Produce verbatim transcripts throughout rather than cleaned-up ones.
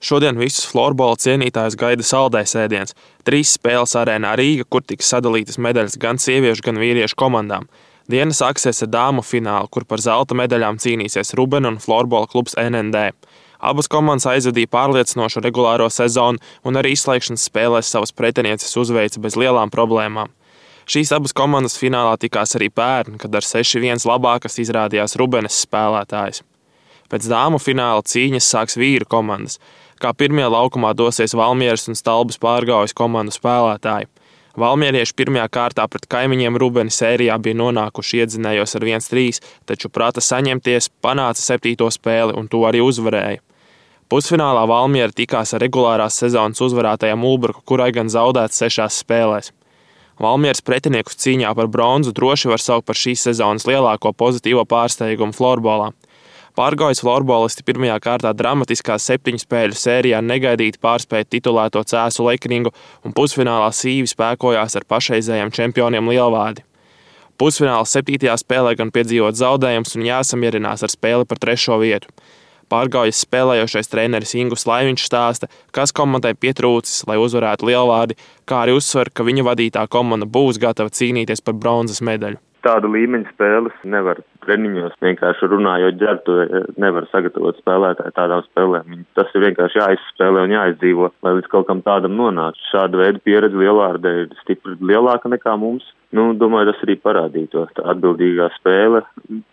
Šodien visus florbola cienītājus gaida saldais ēdiens. Trīs spēles arēnā Rīga, kur tiks sadalītas medaļas gan sieviešu, gan vīriešu komandām. Diena sāksies ar dāmu finālu, kur par zelta medaļām cīnīsies Rubena un florbola klubs N N D. Abas komandas aizvadīja pārliecinošu regulāro sezonu un arī izslēgšanas spēlēs savas pretinieces uzveica bez lielām problēmām. Šīs abas komandas finālā tikās arī pērn, kad ar seši viens labākas izrādījās Rubenes spēlētājs. Pēc dāmu fināla cīņas sāks vīru komandas. Kā pirmie laukumā dosies Valmieras un Stalbas Pārgaujas komandu spēlētāji. Valmierieši pirmajā kārtā pret kaimiņiem Rubeni sērijā bija nonākuši iedzinējos ar viens trīs, taču prata saņemties, panāca septīto spēli un to arī uzvarēja. Pusfinālā Valmiera tikās ar regulārās sezonas uzvarētajām Ulbruku, kurai gan zaudēts sešās spēlēs. Valmieras pretiniekus cīņā par bronzu droši var saukt par šīs sezonas lielāko pozitīvo pārsteigumu florbolā. Pārgaujas florbolisti pirmajā kārtā dramatiskā septiņu spēļu sērijā negaidīti pārspēja titulēto Cēsu Lekringu un pusfinālā sīvi spēkojās ar pašreizējiem čempioniem Lielvādi. Pusfināla septītajā spēlē gan piedzīvot zaudējums un jāsamierinās ar spēli par trešo vietu. Pārgaujas spēlējošais treneris Ingus Laiviņš stāsta, kas komandai pietrūcis, lai uzvarētu Lielvādi, kā arī uzsver, ka viņa vadītā komanda būs gatava cīnīties par bronzas medaļu. Tādu līmeņu spēles nevar treniņos vienkārši runājot ģertu, nevar sagatavot spēlētāju tādām spēlēm. Tas ir vienkārši jāizspēlē un jāizdzīvo, lai līdz kaut kam tādam nonāc. Šāda veida pieredze Lielvārdē ir stipri lielāka nekā mums. Nu, domāju, tas arī parādīja tā atbildīgā spēle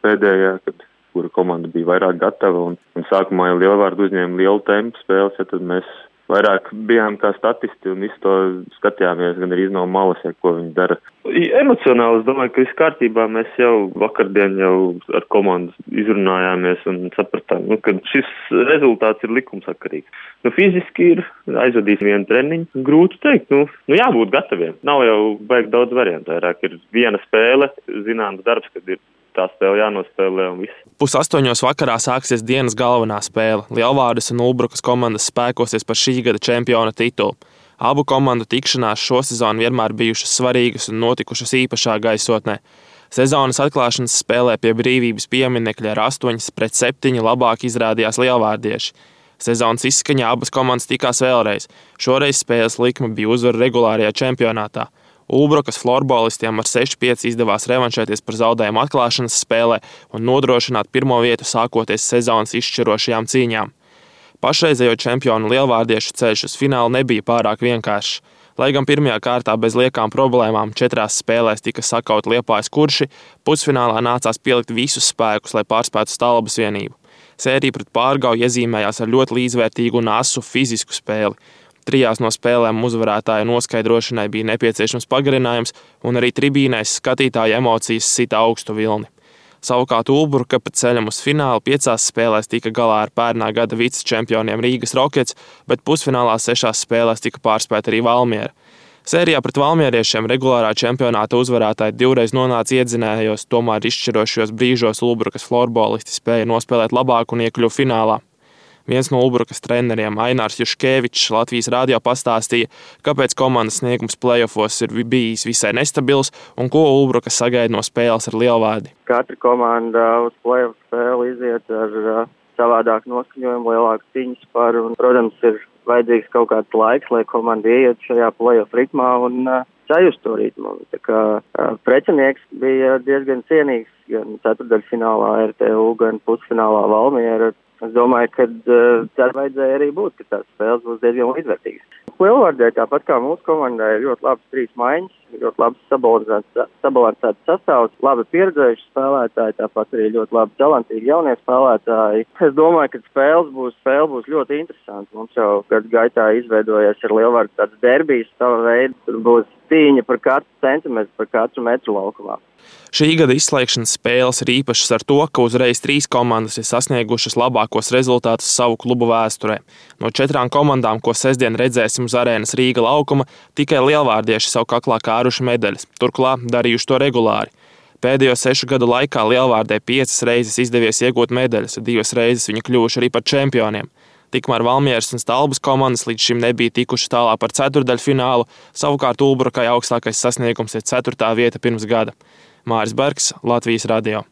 pēdējā, kad kura komanda bija vairāk gatava un, un sākumā jau Lielvārdu uzņēma lielu tempu spēles, ja tad mēs vairāk bijām kā statisti un visu to skatījāmies gan arī no malas, ja, ko viņi dara. Emocionāli es domāju, ka viss kārtībā mēs jau vakardien jau ar komandu izrunājāmies un sapratām, nu, ka šis rezultāts ir likumsakarīgs. Nu, fiziski ir aizvadījis vienu treniņu. Grūti teikt, nu, nu jābūt gataviem. Nav jau baigi daudz variantu, vairāk ir viena spēle, zināms darbs, kad ir tā spēle jānospēlē un viss. Pus astoņos vakarā sāksies dienas galvenā spēle. Lielvārdes un Ulbrukas komandas spēkosies par šī gada čempiona titulu. Abu komandu tikšanās šo sezonu vienmēr bijušas svarīgas un notikušas īpašā gaisotnē. Sezonas atklāšanas spēlē pie Brīvības pieminekļa ar astoņas pret septiņi labāk izrādījās lielvārdieši. Sezonas izskaņā abas komandas tikās vēlreiz. Šoreiz spēles likme bija uzvara regulārajā čempionātā. Ulbrukas florbolistiem ar seši pieci izdevās revanšēties par zaudējumu atklāšanas spēlē un nodrošināt pirmo vietu sākoties sezonas izšķirošajām cīņām. Pašreizējo čempionu lielvārdiešu ceļš uz finālu nebija pārāk vienkāršs. Lai gan pirmajā kārtā bez liekām problēmām četrās spēlēs tika sakaut Liepājas kurši, pusfinālā nācās pielikt visus spēkus, lai pārspētu Stalbas vienību. Sērija pret Pārgauju iezīmējās ar ļoti līdzvērtīgu un asu fizisku spēli. Trijās no spēlēm uzvarētāja noskaidrošanai bija nepieciešams pagarinājums, un arī tribīnēs skatītāja emocijas sita augstu vilni. Savukārt Ulbruka pa ceļam uz finālu piecās spēlēs tika galā ar pērnā gada vicečempioniem Rīgas Rockets, bet pusfinālā sešās spēlēs tika pārspēta arī Valmiera. Sērijā pret valmieriešiem regulārā čempionāta uzvarētāji divreiz nonāca iedzinējos, tomēr izšķirošajos brīžos Ulbrukas florbolisti spēja nospēlēt labāk un iekļuva finālā. Viens no Ulbrukas treneriem, Ainārs Juškevičs, Latvijas radio pastāstīja, kāpēc komandas sniegums play-offos ir bijis visai nestabils un ko Ulbruka sagaida no spēles ar Lielvārdi. Katra komanda uz play-off spēli iziet ar uh, savādāku noskaņojumu, lielāku cīņas par, un, protams, ir vajadzīgs kaut kāds laiks, lai komanda ieiet šajā play-off ritmā un uh, sajust to ritmu. Tā kā uh, pretinieks bija diezgan cienīgs gan ceturtdaļfinālā R T U, gan pusfinālā Valmiera. Es domāju, ka uh, tā vajadzēja arī būt, ka tās spēles būs diezgan līdzvērtīgas. Lielvārdē, tāpat kā mūsu komandai, ir ļoti labas trīs maiņas, ļoti labs sabalansēts sastāvs, labi pieredzējuši spēlētāji, tāpat arī ļoti labi talantīgi jaunie spēlētāji. Es domāju, ka spēles būs, spēle būs ļoti interesanti. Mums jau gadu gaitā izveidojies ar Lielvārdu tāds derbijs sava veida. Tur būs cīņa par katru centimetru, par katru metru laukumā. Šī gada izslēgšanas spēles ir īpašas ar to, ka uzreiz trīs komandas ir sasniegušas labākos rezultātus savu klubu vēsturē. No četrām komandām, ko sestdien redzēsim uz arēnas Rīga laukuma, tikai lielvārdieši savu kaklā kāruši medaļas, turklāt darījuši to regulāri. Pēdējo sešu gadu laikā Lielvārdē piecas reizes izdevies iegūt medaļas, divas reizes viņi kļuvuši arī par čempioniem. Tikmēr Valmieras un Stalbas komandas līdz šim nebija tikuši tālāk par ceturtdaļfinālu, savukārt Ulbrukai augstākais sasniegums ir ceturtā vieta pirms gada. Māris Bergs, Latvijas radio.